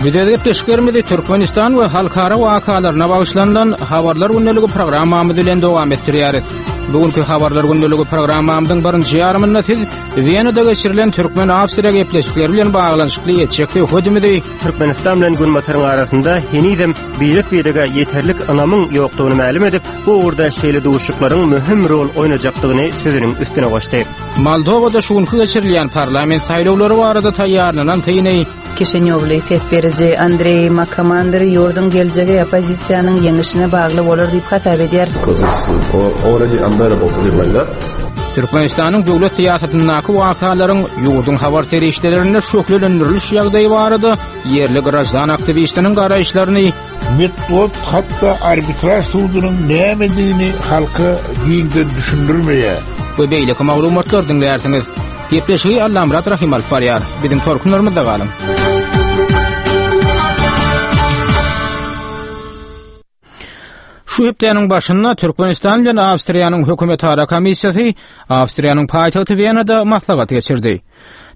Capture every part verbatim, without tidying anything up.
Biz öz gepleşiklerimizi Türkmenistan we halkara wakalaryna bagyşlanylan Habarlar gündeligi programmamyz bilen dowam etdirýäris. Bu günki Habarlar gündeligi programmamyzyň birinji ýarymynda siz Wenada geçirilen Türkmen-Awstriýa gepleşikleri bilen baglanyşykly etjek söhbetimizi Türkmenistan bilen Günbataryň arasynda henizem birek-birege ýeterlik ynamyň ýokdugyny mälim edip, bu ugurda şeýle duşuşyklaryň möhüm rol oýnajakdygyny sözüniň üstüne goşdy. Moldowada şu günki geçirilýän parlament saýlawlary barada taýýarlanan syny Kişinýowly ses beriji Andreý Makomander ýurduň geljegi oppozisiýanyň ýeňişine bagly bolar diýip hasap edýär. Because it's already unbearable to live like that. Türkmenistanyň döwlet syýasatyndaky wakalaryň ýurduň habar serişdelerinde şöhlelendiriliş ýagdaýy barada ýerli graždan aktiwistiniň garaýyşlaryny Metbugat hatda arbitraž sudunyň nämedigini halka giňden düşündirmeýär. We beýleki maglumatlar diňlärsiňiz. Gepleşigi Allamyrat Rahym alyp barýar. Biziň tolkunlarymyzda galyň. Şu hepdäniň başynda Türkmenistan bilen Awstriýanyň hökümetara komissiýasy Awstriýanyň paýtagty Wenada maslahat geçirdi.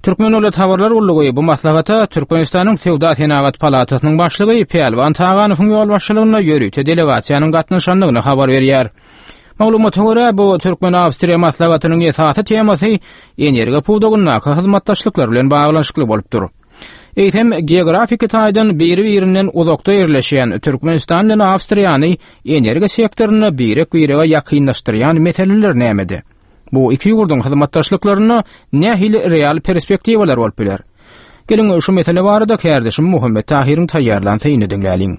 Türkmen döwlet habarlar gullugy bu maslahata Türkmenistanyň Söwda-senagat palatasynyň başlygy Pälwan Taganowyň ýolbaşçylygynda ýörite delegasiýanyň gatnaşandygyny habar berýär. Maglumata görä, bu Türkmen-Awstriýa maslahatynyň esasy temasy energiýa pudagyndaky hyzmatdaşlyklar bilen baglanyşykly bolupdyr. Eýsem, geografiki taýdan biri-birinden uzakda ýerleşýän Türkmenistan bilen Awstriýany energiýa sektorynda birek-birege ýakynlaşdyrýan meseleler nämede? Bu iki ýurduň hyzmatdaşlyklarynda nähili real perspektiwalar bolup biler? Geliň şu mesele barada kärdeşim Muhammet Tahyryň taýýarlan synyny diňläliň.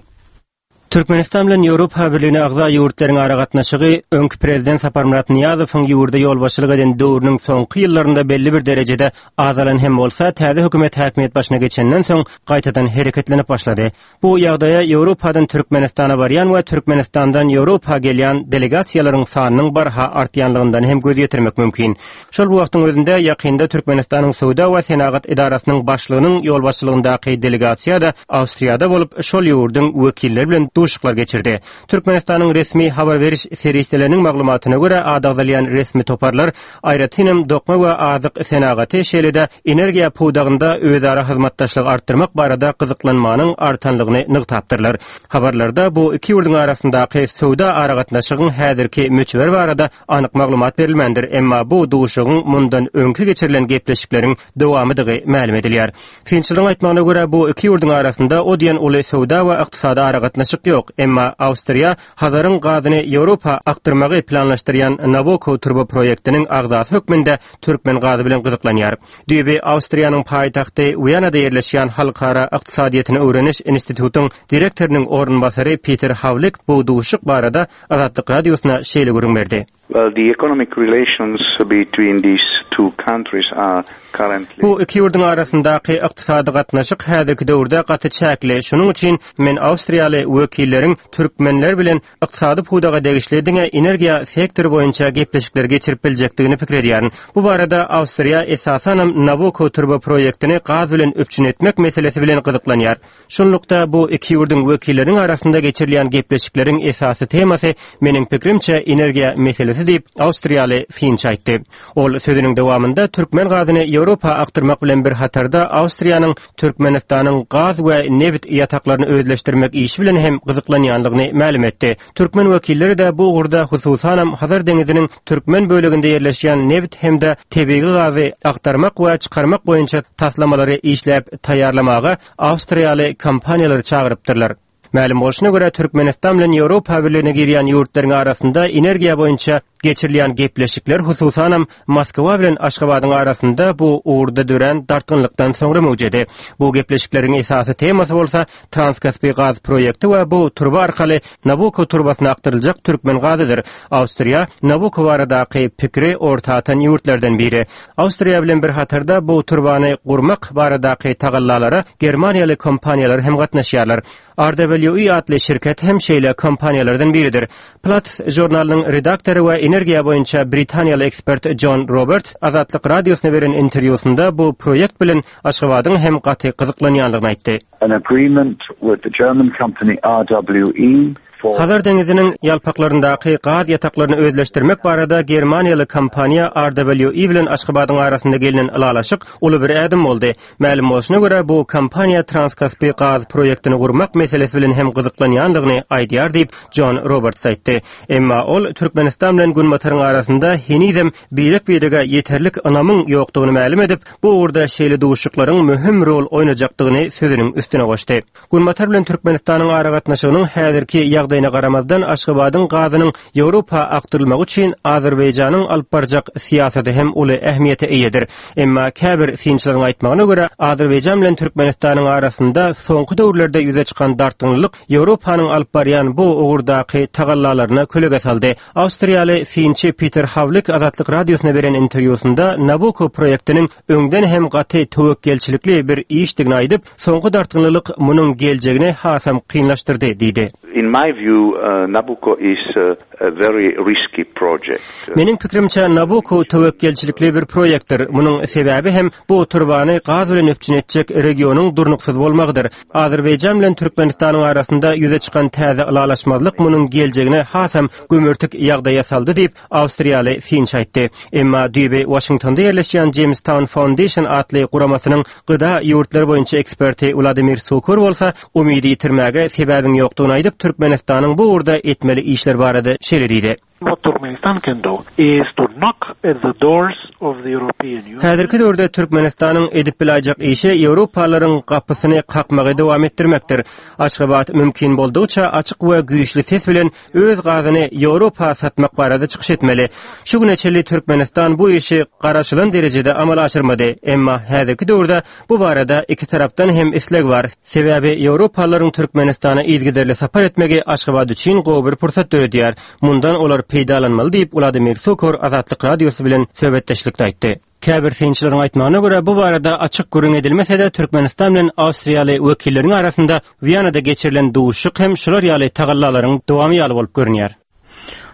Türkmenistan bilen Ýewropa Birligine agza ýurtlaryň aragatnaşygy öňki prezident Saparmyrat Nyýazowyň ýurda ýolbaşçylyk eden döwrüniň soňky ýyllarynda belli bir derejede azalan hem bolsa, täze hökümet häkimiýet başyna geçenden soň gaýtadan hereketlenip başlady. Bu ýagdaýa Ýewropadan Türkmenistana barýan we Türkmenistandan Ýewropa gelýän delegasiýalaryň sanynyň barha artýanlygyndan hem göz ýetirmek mümkin. Şol bir wagtyň özünde ýakynda Türkmenistanyň Söwda we senagat edarasynyň başlygynyň ýolbaşçylygyndaky delegasiýa-da Awstriýada bolup, şol ýurduň wekilleri bilen duşuşyklar geçirdi. Türkmenistanyň resmi habar beriş serişdeleriniň maglumatyna görä, ady agzalýan resmi toparlar aýratynam dokma we azyk senagaty, şeýle-de energiýa pudagynda özara hyzmatdaşlygy artdyrmak barada gyzyklanmanyň artanlygyny nygtapdyrlar. Habarlarda bu iki ýurduň arasyndaky söwda aragatnaşygyň häzirki möçberi barada anyk maglumat berilmändir, emma bu duşuşygyň mundan öňki geçirilen gepleşikleriň dowamydygy mälim edilýär. Synçylaryň aýtmagyna görä, bu iki ýurduň arasynda o diýen uly söwda we ykdysady aragatnaşyk ýok, emma Awstriýa Hazaryň gazyny Ýewropa akdyrmagy planlaşdyrýan Nabucco turba proýektiniň agzasy hökmünde türkmen gazy bilen gyzyklanýar. Düýbi Awstriýanyň paýtagty Wenada ýerleşýän Halkara ykdysadyýetini öwreniş institutyň direktorynyň orunbasary Peter Hawlik bu duşuşyk barada Azatlyk Radiosyna şeýle gürrüň berdi. Well, the economic relations between these two countries are currently Bu iki ýurduň arasyndaky ykdysady gatnaşyk häzirki döwürde gaty çäkli. Şonuň üçin men awstriýaly wekilleriň türkmenler bilen ykdysady pudaga degişli diňe energiýa sektory boýunça gepleşikler geçirip biljekdigini pikir edýärin. Bu barada Awstriýa esasanam Nabucco turba proýektini gaz bilen üpjün etmek meselesi bilen gyzyklanýar. Şunlukda bu iki ýurduň wekilleriniň arasynda geçirilýän gepleşikleriň esasy temasy meniň pikrimçe energiýa meselesi diýip awstriýaly synçy aýtdy. Ol sözüniň dowamynda türkmen gazyny Ýewropa akdyrmak bilen bir hatarda Awstriýanyň Türkmenistanyň gaz we nebit ýataklaryny özleşdirmek işi bilen hem gyzyklanýanlygyny mälim etdi. Türkmen wekilleri-de bu ugurda hususanam Hazar deňiziniň türkmen böleginde ýerleşýän nebit hem-de tebigy gazy aktarmak we çykarmak boýunça taslamalary işläp taýýarlamaga awstriýaly kompaniýalary çagyrypdyrlar. Mälim bolşuna görä, Türkmenistan bilen Ýewropa Birligine girýän ýurtlaryň arasynda energiýa boýunça geçirilýän gepleşikler hususanam Moskwa bilen Aşgabadyň arasynda bu ugurda dörän dartgynlykdan soňra möwjedi. Bu gepleşikleriň esasy temasy bolsa Transkaspi gaz proýekti we bu turba arkaly Nabucco turbasyna akdyryljak türkmen gazydyr. Awstriýa Nabucco baradaky pikiri orta atan ýurtlardan biri. Awstriýa bilen bir hatarda bu turbany gurmak baradaky tagallalara germaniýaly kompaniýalar hem gatnaşýarlar. R W E atly şirket hem şeýle kompaniýalardan biridir. Platts žurnalynyň redaktory we energiýa boýunça britaniýaly ekspert John Roberts Azatlyk Radiosyna beren interwýusynda bu proýekt bilen Aşgabadyň hem gaty gyzyklanýanlygyny aýtdy. An agreement with the German company R W E Hazar deňiziniň ýalpaklaryndaky gaz ýataklaryny özleşdirmek barada Germaniýaly kompaniýa R W E bilen Aşgabadyň arasynda gelinen ylalaşyk uly bir ädim boldy. Mälim bolşuna görä, bu kompaniýa Transkaspi gaz proýektini gurmak meselesi bilen hem gyzyklanýandygyny aýdýar diýip, John Roberts aýtdy. Emma ol Türkmenistan bilen Günbataryň arasynda henizem birek-birege ýeterlik ynamyň ýokdugyny mälim edip, bu ugurda şeýle duşuşyklaryň möhüm rol oýnajakdygyny sözüniň üstüne goşdy. Günbatar bilen Türkmenistanyň aragatnaşygynyň häzirki ýagdaýyna garamazdan, Aşgabadyň gazynyň Ýewropa akdyrylmagy üçin Azerbaýjanyň alyp barjak syýasaty hem uly ähmiýete eýedir. Emma käbir synçylaryň aýtmagyna görä, Azerbaýjan bilen Türkmenistanyň arasynda soňky döwürlerde ýüze çykan dartgynlyk Ýewropanyň alyp barýan bu ugurdaky tagallalaryna kölege saldy. Awstriýaly synçy Peter Havlik Azatlyk radiosyna beren interwýusynda Nabucco proýektiniň öňden hem gaty töwekgelçilikli bir işdigini aýdyp, soňky dartgynlyk munuň geljegini hasam kynlaşdyrdy diýdi. In my view, uh, Nabucco is uh, a very risky project. Meniň pikrimçe, Nabucco töwekgelçilikli bir proýektdir. Munuň sebäbi hem bu turbany gaz bilen üpjün etjek regionyň durnuksyz bolmagydyr. Azerbaýjan bilen Türkmenistanyň arasynda ýüze çykan täze ylalaşmazlyk munuň geljegini hasam gümürtik ýagdaýa saldy diýip, Awstriýaly synçy aýtdy. Emma düýbi Washingtonda ýerleşýän Jamestown Foundation atly guramasynyň G D A ýurtlary boýunça eksperti Wladimir Sukor bolsa umydy ýitirmäge sebäbiň ýokdugyny aýdyp, Türkmenistanyň bu ugurda etmeli işler barada şeýle diýdi. What Turkmenistan can do is to knock at the doors of the European Union. Häzirki döwürde Türkmenistanyň edip biläýjek işi Ýewropalaryň gapysyny kakmagy dowam etdirmekdir. Aşgabat mümkin boldugyça açyk we güýçli ses bilen öz gazyny Ýewropa satmak barada çykyş etmeli. Şu güne çenli Türkmenistan bu işi garaşylan derejede amala aşyrmady. Emma häzirki döwürde bu barada iki tarapdan hem isleg bar. Sebäbi Ýewropalaryň Türkmenistana yzygiderli sapar etmegi Aşgabat üçin gowy bir pursat döredýär. Mundan olar peýdalanmaly diýip, Wladimir Sukor Azatlyk radiosy bilen söhbetdeşlikde aýtdy. Käbir synçylaryň aýtmagyna görä, bu barada açyk gürrüň edilmese-de, Türkmenistan bilen Awstriýaly wekilleriň arasynda Wiýanada geçirilen duşuşyk hem şular ýaly tagallalaryň dowamy ýaly bolup görünýär.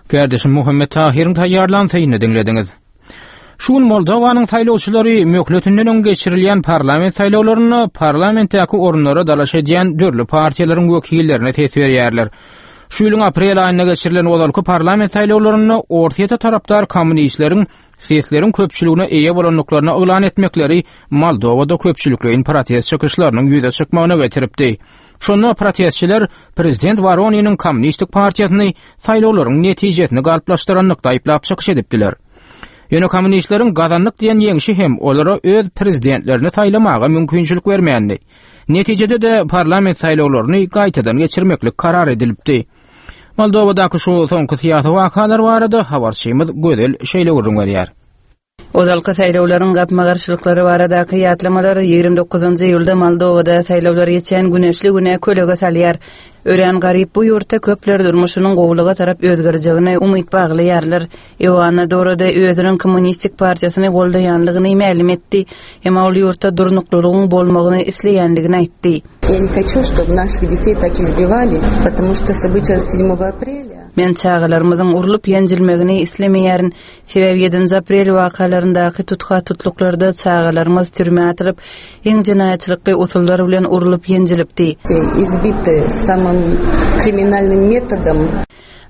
Kardeşim Muhammet Tahir'in taýýarlan synyny diňlediňiz. Şu gün Moldowanyň saýlawçylary möhletinden öň geçirilýän parlament saýlawlarynda parlamentdäki orunlara dalaş edýän dürli partiýalaryň wekillerine ses berýärler. Şu ýylyň aprel aýynda geçirilen ozalky parlament saýlawlarynda Orsýete tarapdar kommunistleriň sesleriň köpçüligine eýe bolandyklaryny yglan etmekleri Moldowada köpçülikleýin protest çykyşlarynyň ýüze çykmagyna getiripdi. Şonda protestçiler prezident Woroniniň kommunistik partiýasyny saýlawlaryň netijesini galplaşdyranlykda aýyplap çykyş edipdiler. Ýöne kommunistleriň gazandyk diýen ýeňşi hem olara öz prezidentlerini saýlamaga mümkinçilik bermändi. Netijede de parlament saýlawlaryny gaýtadan geçirmeklik karar edilipdi. Moldowadaky şu soňky syýasy wakalar barada habarçymyz Gözel şeýle gürrüň berýär. Ozalky saýlawlaryň gapma-garşylyklary baradaky ýatlamalar ýigrimi dokuzynjy iýulda Moldowada saýlawlar geçen güneşli güne kölege salýar. Örän garyp bu ýurtda köpler durmuşynyň gowulyga tarap özgerjegine umyt baglaýarlar. Ioana Dorada özüniň kommunistik partiýasyny goldaýanlygyny mälim etdi. Emma ol ýurtda durnuklylygyň bolmagyny isleýänligini aýtdy. Я не хочу, чтобы наших детей так избивали, потому что события седьмого апреля Men çagalarymyzyň urlup ýenjilmegini islemeýärin. Sebäbi ýedinji aprel wakalaryndaky tutha tutluklarda çagalarymyz türmä atylyp, iň jenaýatçylykly usullar bilen urlup ýenjilipdi. Избиты самым криминальным методом.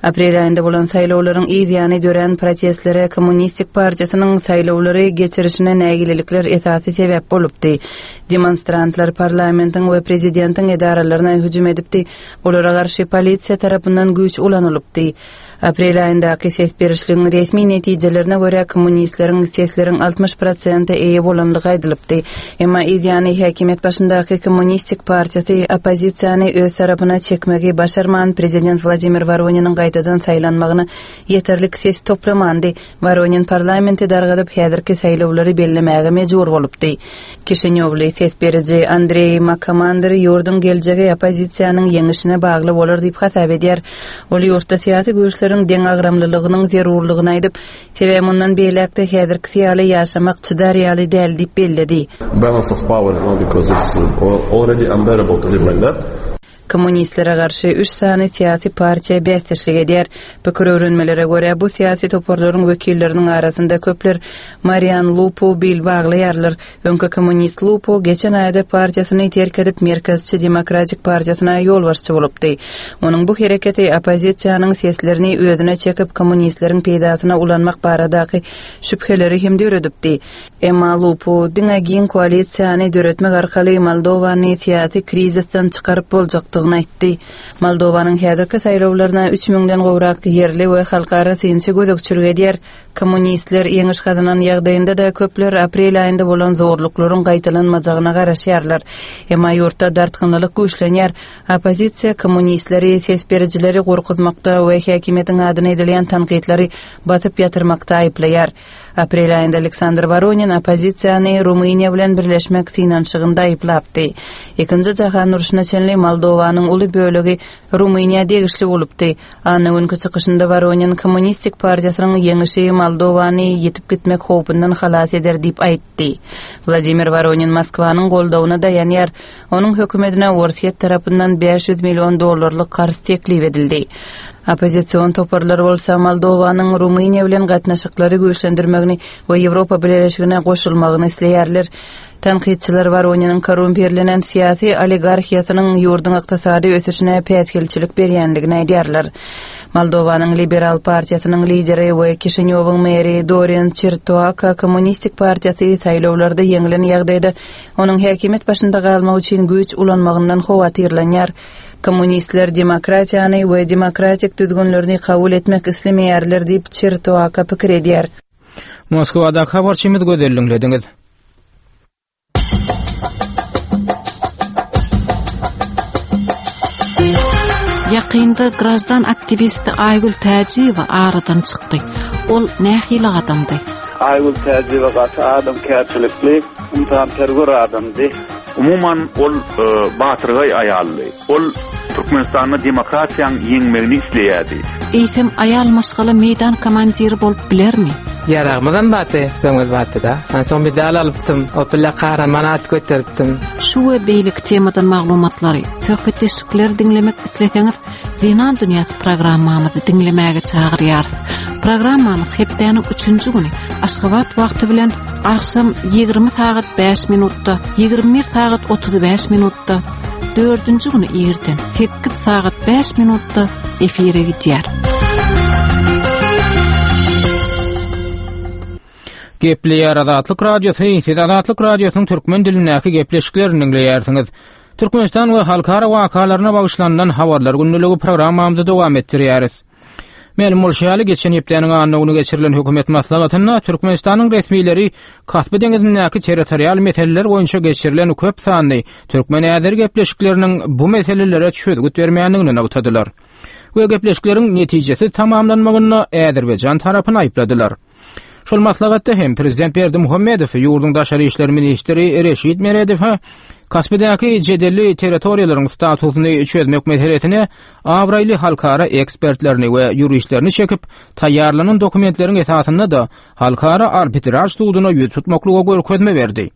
Aprel aýynda bolan saýlawlaryň yzýany dörän protestlere Kommunistik partiýasynyň saýlawlary geçirişine nägilelikler esasy sebäp bolupdy. Demonstrantlar parlamentiň we prezidentiň edaralaryna hüjüm edipdi. Olara garşy polisiýa tarapyndan güýç ulanylypdy. Aprel aýyndaky ses berişligiň resmi netijelerine görä, kommunistleriň sesleriň altmyş prosente eýe bolanlygy aýdylypdy. Emma yzýany häkimiýet başyndaky Kommunistik partiýasy oppozisiýany öz tarapyna çekmegi başarman, prezident Wladimir Woroniniň gaýtadan saýlanmagyna ýeterlik ses toplamandy. Voronin parlamenti dargadyp, häzirki saýlawlary bellemäge mejbur bolupdy. Kişinýowly ses beriji Andrei Makomander ýurduň geljegi oppozisiýanyň ýeňişine bagly bolar diýip hasap edýär. Ol ýurtda syýasy güýçleriň deňagramlylygynyň zerurlygyny aýdyp, sebäbi mundan beýläkde häzirki ýaly ýaşamak çydar ýaly däl diýip belledi. Balance of power, you know, because it's uh, already unbearable to live like that. Kommunistlere garşy üç sany syýasy partiýa bäsdeşlik edýär. Pikir öwrenmelere görä bu syýasy toparlaryň wekilleriniň arasynda köpler Marian Lupu bil baglaýarlar. Öňki kommunist Lupu geçen aýda partiýasyny terk edip Merkezçi Demokratik partiýasyna ýolbaşçy bolupdy. Onuň bu hereketi oppozisiýanyň seslerini özüne çekip kommunistleriň peýdasyna ulanmak baradaky şübheleri hem döredipdi. Emma Lupu diňe giň koalisiýany döretmek arkaly Moldowany syýasy krizisden çykaryp boljakdygyny aýtdy. Moldowanyň häzirki saýlawlaryna üç müňden gowrak ýerli we halkara synçy gözegçilik edýär. Kommunistler ýeňiş gazanan ýagdaýynda da köpler aprel aýynda bolan zorluklaryň gaýtalanmajagyna garaşýarlar. Emma ýurtda dartgynlylyk güýçlenýär. Oppozisiýa kommunistleri ses berijileri gorkuzmakda we häkimiýetiň adyna edilýän tankytlary basyp ýatyrmakda aýyplaýar. Aprel aýynda Aleksandr Voronin oppozisiýany Rumyniýa bilen birleşmek synanyşygynda aýyplapdy. Ikinji jahan urşuna çenli Moldowanyň uly bölegi Rumyniýa degişli bolupdy. Anna günki çykyşynda Voronin Kommunistik partiýasynyň ýeňişi Moldowany ýetip gitmek howpundan halas eder diýip aýtdy. Wladimir Voronin Moskwanyň goldawyna daýanýar. Onuň hökümetine Orsýet tarapyndan bäş ýüz million dollarlyk karz teklip edildi. Oppozision toparlar bolsa Moldowanyň Rumyniýa bilen gatnaşyklary güýçlendirmegini we Ýewropa Bileleşigine goşulmagyny isleýärler. Tankytçylar Voroniniň korrumpirlenen syýasy oligarhiýasynyň ýurduň ykdysady ösüşine päsgelçilik berýänligini aýdýarlar. Moldowanyň Liberal partiýasynyň lideri we Kişinýowyň meri Dorin Çirtoaka Kommunistik partiýasy saýlawlarda ýeňilen ýagdaýda onuň häkimiýet başynda galmak üçin güýç ulanmagyndan howatyrlanýar. Kommunistler demokratiýany we demokratik düzgünlerini kabul etmek islemeýärler diýip Çirtoaka pikir edýär. Moskwada habarçymyz gözelliňlediňiz. Ýakynda grajdan aktiwisti Aýgül Täjiýewa aradan çykdy. Ol nähili adamdy? Aýgül Täjiýewa gaty adamkärçilikli, ynsanperwer adamdy. Umuman ol e, batyrgaý aýaldy. Ol Türkmenistanda demokratiýanyň ýeňmegini isleýärdi. Eýsem aýal maşgala meýdan komandiri bolup bilermi? Ýaragymyzam batdy, öňüz batdy da. Men soň medal alypdym, o bile kahraman at göteripdim. Şu we beýleki temadan maglumatlary, söhbetdeşlikleri diňlemek isleseňiz, Zenan Dünýäsi programmamyzy diňlemäge çagyrýarys. Programmamyz hepdäniň üçünji güni Aşgabat wagty bilen agşam ýigrimi sagat bäş minutda, ýigrimi bir sagat otuz bäş minutda, dördünji güni irden sekiz sagat bäş minutda efire gidýär. Gepleýär Azatlyk Radiosy, siz Azatlyk Radiosynyň türkmen dilindäki gepleşiklerini diňleýärsiňiz. Türkmenistan we halkara wakalaryna bagyşlanylan habarlar günlügi programmamyzy dowam etdirýäris. Mälim bolşy ýaly geçen hepdäniň anna güni geçirilen hökümet maslahatynda Türkmenistanyň resmileri Kaspi deňizindäki territorial meseleler boýunça geçirilen köp sanly türkmen-äzer gepleşikleriniň bu meselelere çözgüt bermändigini nygtadylar. We gepleşikleriň netijesi tamamlanmagynda Azerbaýjan tarapyny aýypladylar. Şol maslahatda hem Prezident Berdimuhamedow ýurduň daşary işler ministri Reşit Meredow Kaspidäki jedelli territoriýalaryň statusyny çözmek meselesine abraýly halkara ekspertlerini we ýuristlerini çekip, taýýarlanan dokumentleriň esasynda da halkara arbitraj suduna ýüz tutmaklyga görkezme berdi.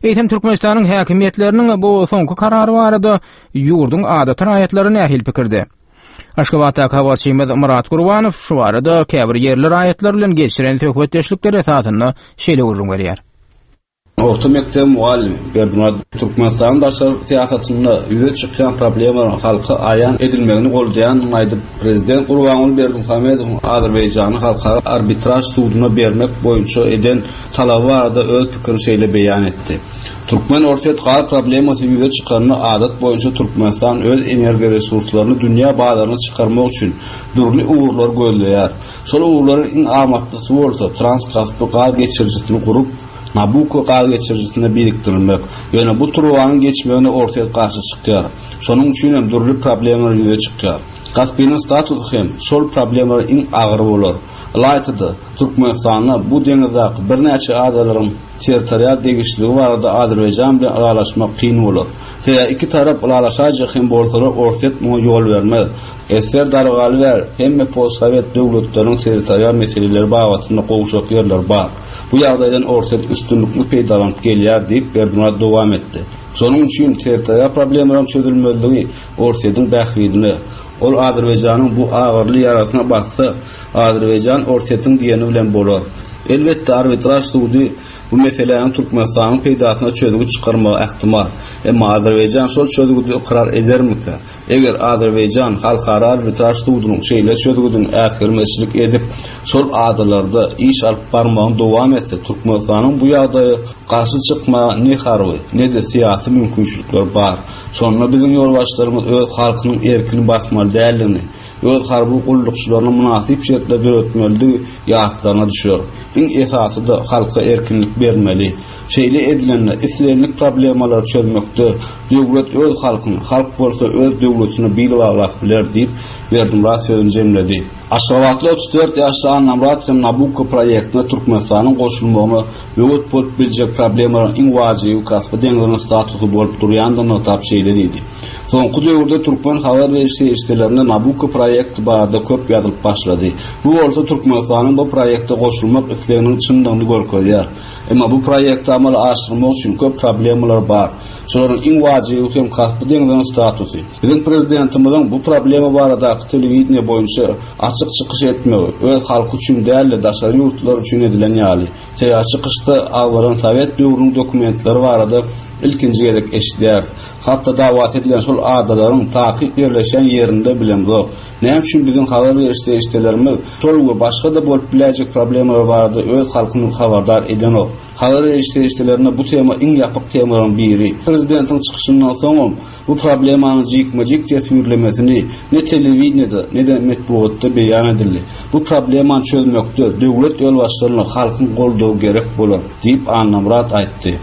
Eýsem Türkmenistanyň häkimiýetleriniň bu soňky karary barada ýurduň adaty raýatlary nähili pikirde? Aşgabatdaky habarçymyz Murat Gurbanow şu barada käbir ýerli raýatlar bilen geçiren söhbetdeşlikler esasynda şeýle gürrüň berýär. Orta mekdep muallimi Berdimuhamet Türkmenistanyň daşary syýasatynda ýüze çykýan problemalaryň halka aýan edilmegini goldaýandygyny aýdyp, Prezident Gurbanguly Berdimuhamedowyň Azerbaýjany halkara arbitraj suduna bermek boýunça eden talaby barada öz pikirini şeýle beýan etdi. Türkmen Orsýet gaz problemasy ýüze çykanda adat boýunça Türkmenistan öz energiýa resurslaryny dünýä bazaryna çykarmak üçin dürli ugurlary gözleýär. Şol ugurlaryň iň amatlysy bolsa Transkaspi gaz geçirijisini gurup Nabucco gaz geçirijisine birikdirilmek. Ýöne bu turbanyň geçmegine Orsýet garşy çykýar. Şonuň üçin hem dürli problemalar ýüze çykýar. Kaspiniň statusy hem şol problemalar iň agyr bolar. Ylaýta-da Türkmenistanda bu deňizdäki birnäçe adalaryň territorial degişliligi barada Azerbaýjan bilen ylalaşmak kyn bolar. Sebäbi iki tarap ylalaşajak hem bolsalar Orsýet muňa ýol bermez. Eser dargaly ber, hemme postsowet döwletleriniň territorial meseleleri babatynda gowşak ýerler bar. Bu ýagdaýdan Orsýet üstünlikli peýdalanyp gelýär diýip Berdimurad dowam etdi. Şonuň üçin territorial problemalaryň çözülmezligi Orsýetiň bähbidine. Ol Azerbaýjanyň bu agyrly ýarasyna bassa, Azerbaýjan Orsýetiň diýeni bilen bolar. Elbetde arbitraž sudy bu meseläniň Türkmenistanyň peýdasyna çözgüt çykarmagy ähtimal. Emma Azerbaýjan şol çözgüdi ykrar edermikä? Eger Azerbaýjan halkara arbitraž sudunyň şeýle çözgüdini äsgermezçilik edip, şol adalarda iş alyp barmagyny dowam etse, Türkmenistanyň bu ýagdaýa garşy çykmaga ne harby, ne-de syýasy mümkinçilikler bar. Şonda biziň ýolbaşçylarymyz öz halkynyň erkini basmaly däldigini, öz harby gullukçylaryna mynasyp şertler döretmelidigi ýatlaryna düşer. Iň esasy-da halka erkinlik bermeli. Şeýle edilende islendik problemalary çözmekde döwlet öz halkyny, halk bolsa öz döwletine bil baglap biler diýip Berdimurad sözüni jemledi. Aşgabatly otuz dört ýaşly Annamyrat hem Nabucco proýektine Türkmenistanyň goşulmagyna böwet bolup biljek problemalaryň iň wajyby Kaspi deňziniň statusy bolup durýandygyny nygtap şeýle diýdi. Soňky döwürde türkmen habar beriş serişdelerinde Nabucco proýekti barada köp ýazylyp başlady. Bu bolsa Türkmenistanyň bu proýekte goşulmak isleginiň çyndygyny görkezýär. Emma bu proýekti amala aşyrmak üçin köp problemalar bar. Şolaryň iň wajyby hem Kaspi deňziniň statusy. Biziň prezidentimiziň bu problema baradaky telewideniýe boýunça açyk çykyş etmegi öz halky üçin däl-de daşary ýurtlar üçin edilen ýaly. Sebäbi çykyşda agzalan Sowet döwrüniň dokumentleri barada ilkinji gezek eşidýäris. Hatda dawasy edilen şol adalaryň takyk ýerleşen ýerinde bilemzok. Näme üçin biziň habar beriş serişdelerimiz şol we başga-da bolup biläýjek problemalar barada öz halkyny habardar edenok. Habar beriş serişdelerinde bu tema iň ýapyk temalaryň biri. Prezidentiň çykyşyndan soňam bu problemanyň jikme-jik teswirlemesini ne telewideniýede, ne-de metbugatda beýan edildi. Bu problemany çözmekde döwlet ýolbaşçylaryna halkyň goldawy gerek bolar diýip Annamyrat aýtdy.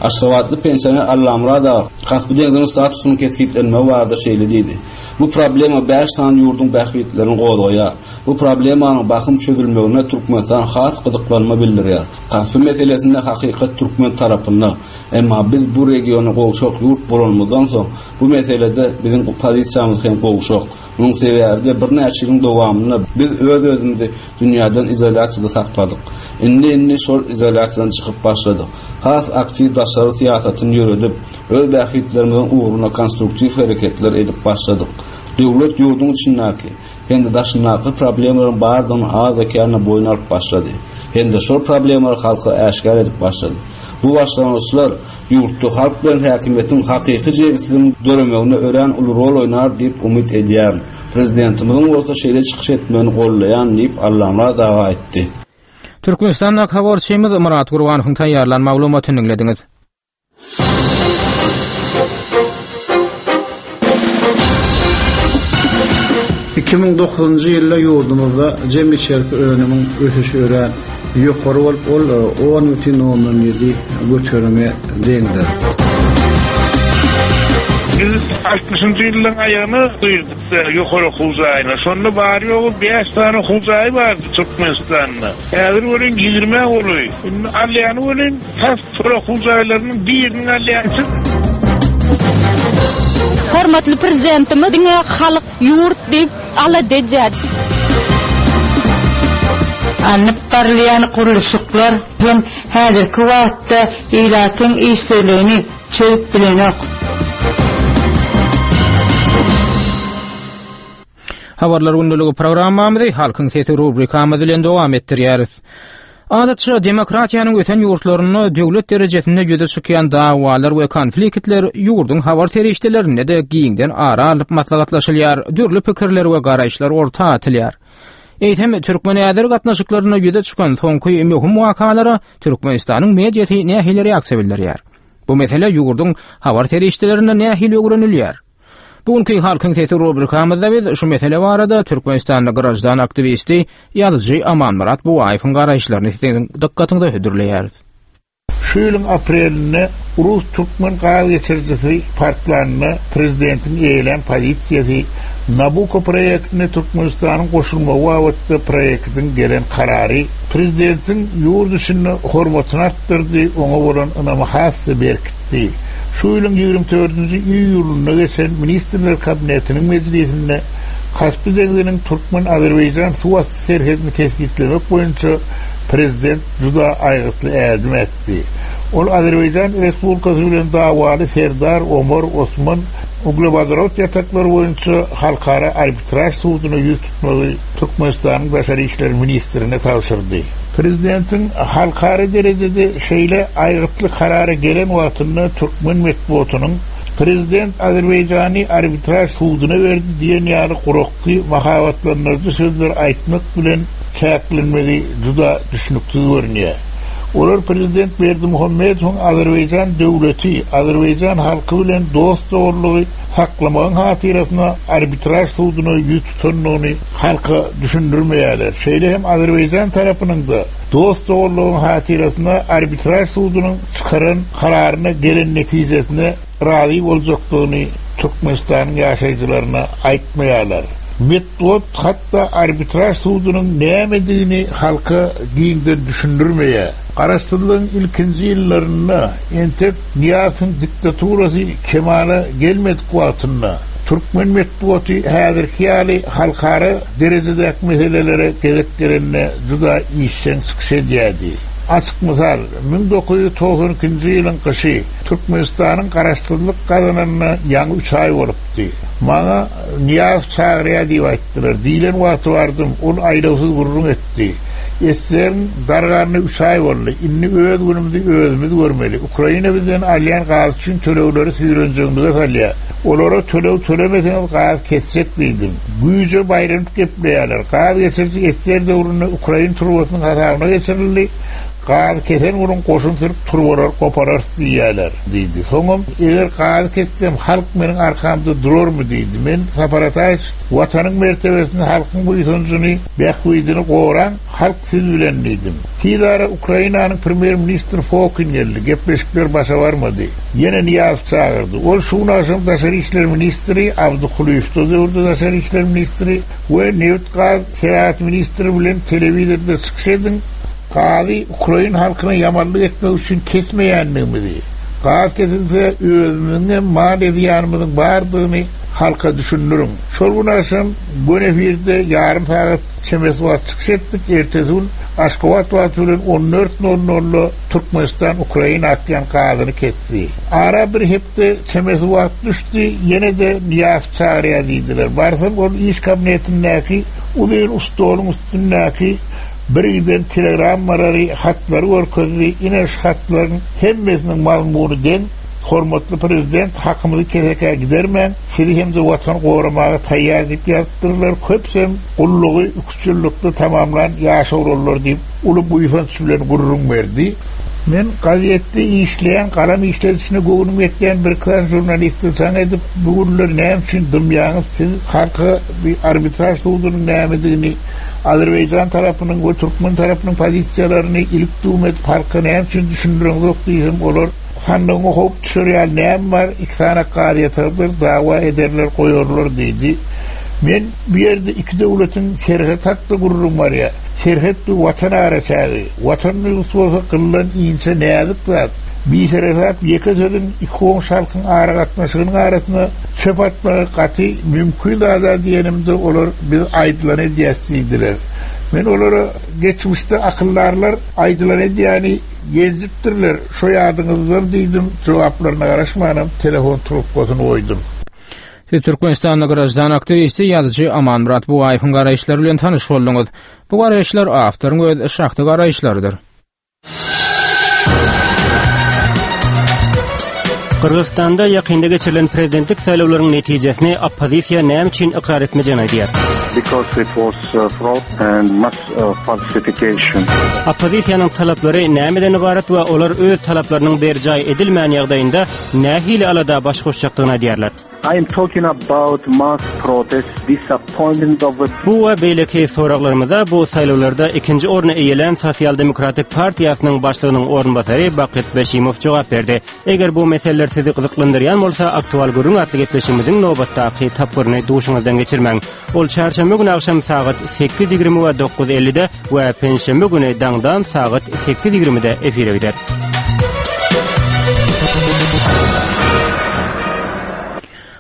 Aşgabatly pensioner Allamurad aga Kaspi deňziniň statusynyň kesgitlenmegi barada şeýle diýdi. Bu problema bäş sany ýurduň bähbitlerini gozgaýar. Bu problemanyň bahym çözülmegine Türkmenistan has gyzyklanma bildirýär. Kaspi meselesinde hakykat türkmen tarapynda. Emma biz bu regiona gowşak ýurt bolanymyzdan soň bu meselede biziň pozisiýamyz hem gowşak. Munuň sebäbi de birnäçe ýylyň dowamynda biz öz-özümizi dünýäden izolýasiýada sakladyk. Indi-indi şol izolýasiýadan çykyp başladyk. Has aktiw daşary syýasatyny ýöredip, öz bähbitlerimiziň ugruna konstruktiw hereketler edip başladyk. Döwlet ýurduň içindäki hem-de daşyndaky problemalaryň bardygyny az-ekänine boýun alyp başlady. Hem-de şol problemalary halka äşgär edip başlady. Bu başlangyçlar ýurtda halk bilen häkimiýetiň hakyky jebisliginiň döremegine örän uly rol oýnar diýip umyt edýärin. Prezidentimiziň bolsa şeýle çykyş etmegini gollaýan diýip Allamurad aga aýtdy. Türkmenistanda habarçymyz Murat Gurbanowyň taýýarlan maglumatyny diňlediňiz. iki müň dokuzynjy ýylda ýurdumyzda jem içerki önümiň ösüşi örän ýokary bolup, ol on bütin ondan ýedi göterime deňdir. Biz altmyşynjy ýylyň aýagyna girdik ýokary okuw jaýyna. Şonda bary ýogy bäş sany okuw jaýy bardy Türkmenistanda. Häzir welin ýigrimi golaý. Indi alýany welin tas şol okuw jaýlarynyň biriniň alýançy. Hormatly prezidentimiz diňe halk ýurt diýip alada edýär. Alnyp barylýan gurluşyklar hem häzirki wagtda ilatyň işsizligini çözüp bilenok. Habarlar gündeligi programmamyzy Halkyň sesi rubrikamyz bilen dowam etdirýäris. Adatça demokratiýanyň ösen ýurtlarynda döwlet derejesinde ýüze çykýan dawalar we konfliktler ýurduň habar serişdelerinde de giňden ara alyp maslahatlaşylýar, dürli pikirler we garaýyşlar orta atylýar. Eýsem Türkmen-Äzer gatnaşyklarynda ýüze çykan soňky möhüm wakalara Türkmenistanyň mediasy nähili reaksiýa bildirýär? Bu mesele ýurduň habar serişdelerinde nähili öwrenilýär? Bugünkü Halkyň sesi rubrikamyzda biz şu mesele barada Türkmenistanda grajdan aktiwisti ýazyjy Amanmyrat Buwaýewiň garaýyşlaryny siziň dykgatyňyza hödürleýäris. Şu ýylyň aprelinde Rus Türkmen gaz geçirijisi partlanynda prezidentiň eýelen pozisiýasy Nabucco proýektine Türkmenistanyň goşulmagy babatda proýektiň gelen karary prezidentiň ýurt içinde hormatyny artdyrdy, oňa bolan ynamy has berkitdi. Şu ýylyň ýigrimi dördünji iýulynda geçen Ministrler Kabinetiniň mejlisinde Kaspi deňziniň Türkmen-Azerbaýjan suwasty serhedini kesgitlemek boýunça prezident juda aýgytly ädim ätdi. Ol Azerbaýjan Respublikasy bilen dawaly Serdar Omar Osman uglewodorod ýataklary boýunça halkara arbitraž suduna ýüz tutmagy Türkmenistanyň Daşary işler ministrine tabşyrdy. Prezidentiň halkara derejede şeýle aýgytly karara gelen wagtynda türkmen metbuatynyň Prezident Azerbaýjany arbitraž suduna berdi diýen ýaly gurakky mahabatlandyryjy sözler aýtmak bilen çäklenmegi juda düşnüksiz görünýär. Olar Prezident Berdimuhamedowyň Azerbaýjan döwleti, Azerbaýjan halky bilen dost-doganlygy saklamagyň hatyrasyna arbitraž suduna ýüz tutandygyny halka düşündirmeýärler. Şeýle hem Azerbaýjan tarapynyň da dost-doganlygyň hatyrasyna arbitraž sudunyň çykaran kararyna gelen netijesine razy boljakdygyny Türkmenistanyň ýaşaýjylaryna aýtmaýarlar. Metbuat hatda arbitraž sudunyň nämedigini halka giňden düşündirmeýär. Garaşsyzlygyň ilkinji ýyllarynda entek Nyýazowyň diktaturasy kemala gelmedik wagtynda türkmen metbuaty häzirki ýaly halkara derejedäki meselelere gezek gelende juda işjeň çykyş edýärdi. Açyk mysal, müň dokuz ýüz togsan ikinji ýylyň gyşy Türkmenistanyň garaşsyzlyk gazananyna ýaňy üç aý bolupdy. Maňa Nyýazow çagyrýar diýip aýtdylar. Diýlen wagty bardym, ol aýlawsyz gürrüň etdi. Eseriň darganyna üç aý boldy. Indi öz günümizi özümiz görmeli. Ukraina bizden alýan gaz üçin tölegleri süýrenjegimize salýar. Olara töleg tölemeseňiz gaz kesjek diýdim. Güýje baýranyp gepleýärler. Gaz geçiriji eser döwründe Ukraina turbasynyň hasabyna geçirildi. Gaz kesen günüň goşun sürüp turbalar gopararys diýýärler diýdi. Soňam eger gaz kessem halk meniň arkamda durarmy diýdi. Men Sapar Ataýew watanyň mertebesini, halkyň buýsanjyny, bähbidini goran halk siz bilen diýdim. Tez ara Ukrainanyň premýer-ministri Fokin geldi. Gepleşikler başa barmady. Ýene Nyýazow çagyrdy. Ol şu gün agşam Daşary işler ministri Abdy Kulyýew döwürde Daşary işler ministri we nebit gaz senagat ministri bilen telewizorda çykyş ediň. Gazy Ukrain halkyna ýamanlyk etmek üçin kesmeýändigimizi, gaz kesilse özümiziň mal zyýanymyzyň bardygyny halka düşündiriň. Şol gün agşam gün efirde ýarym sagat çemesi wagt çykyş etdik. Ertesi gün Aşgabat wagty bilen on dört nol nolda Türkmenistan Ukraina atýan gazyny kesdi. Ara bir hepde çemesi wagt düşdi, ýene-de Nyýazow çagyrýar diýdiler. Barsam ol iş kabinetindäki uzyn stoluň üstündäki bir giden telegrammalary, hatlary görkezdi. Ine şu hatlaryň hemmesiniň mazmuny deň. Hormatly prezident hakymyzy kesekä gidermän, sizi hem-de watan goramaga taýýar diýip ýazypdyrlar. Köpsem gullugy üç ýyllykda tamamlan ýaş oglanlar diýip uly buýsanç bilen gürrüň berdi. Men gazetde işleýän, galam işledişine göwnüm ýetýän bir klan jurnalisti jaň edip, bu günler näme üçin dymýaňyz, siz halka bir arbitraž sudunyň nämedigini, Azerbaýjan tarapynyň we türkmen tarapynyň pozisiýalaryny ilik düwüm edip halka näme üçin düşündiriňiz diýsem, olar sandygyňa howp düşer ýaly näme bar, iki sany gaz ýatardyr, dawa ederler, goýarlar diýdi. Men bu ýerde iki döwletiň serhet hakda gürrüň barýar. Serhet bu watan araçägi. Watan duýgusy bolsa gyllan inçe näzik zat. Biseresap ýeke sözüň iki goňşy halkyň aragatnaşygynyň arasyna çöp atmagy gaty mümkin zada diýenimde olar biz aýdylan edýäs diýdiler. Men olara geçmişde akyldarlar aýdylan edýäni gezipdirler. Şo ýadyňyzdan diýdim, jogaplaryna garaşmanam telefon trubkasyny goýdum. Siz Türkmenistanda grajdan aktiwisti ýazyjy Amanmyrat Bugaýewiň garaýyşlary bilen tanyş bolduňyz. Bu garaýyşlar awtoryň öz şahsy garaýyşlarydyr. Gyrgyzystanda ýakynda geçirilen prezidentlik saýlawlaryň netijesini oppozisiýa näme üçin ykrar etmejegini aýdýar. Because it was fraud and mass falsification. Oppozisiýanyň talaplary nämeden ibarat we olar öz talaplarynyň berjaý edilmän ýagdaýynda nähili alada baş goşjakdygyny aýdýarlar. I am talking about mass protest, disappointment of the Bu we beýleki soraglarymyza bu saýlawlarda ikinji orny eýelän Sosial Demokratik partiýasynyň başlygynyň orunbasary Bakyt Beşimow jogap berdi. Eger bu meseleler sizi gyzyklandyrýan bolsa, aktual gürrüň atly gepleşigimiziň nobatdaky tapgyryny duşuňyzdan geçirmäň. Ol çarşenbe güni agşam sagat sekiz ýigrimi we dokuz ellide we penşenbe güni daňdan sagat sekiz ýigrimide efire gider.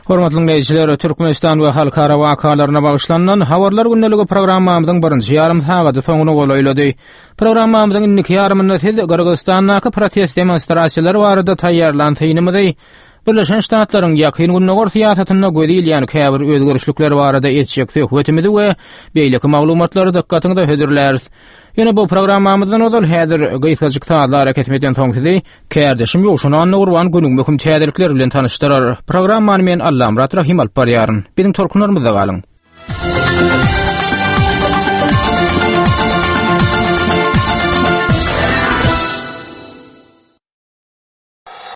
Hormatly dinleýjiler, Türkmenistan we halkara wakalaryna bagyşlanan Habarlar gündeligi programmamyzyň birinji ýarym sagady soňuna golaýlady. Programmamyzyň indiki ýarymynda siz Gyrgyzystandaky protest demonstrasiýalary barada taýýarlan synymyzy Birleşen Ştatlaryň Ýakyn Gündogar syýasatynda göz ilýän käbir özgerişlikler barada etjek söhbetimizi we beýleki maglumatlary dykgatyňyza hödürläris. Ýene bu programmamyzdan ozal häzir gysgajyk sazlar kesmeden soň sizi kärdeşim Ýowşan Annagurban günüň möhüm täzelikleri bilen tanyşdyrar. Programmany men Allamyrat Rahim alyp barýaryn. Biziň tolkunlarymyzda galyň.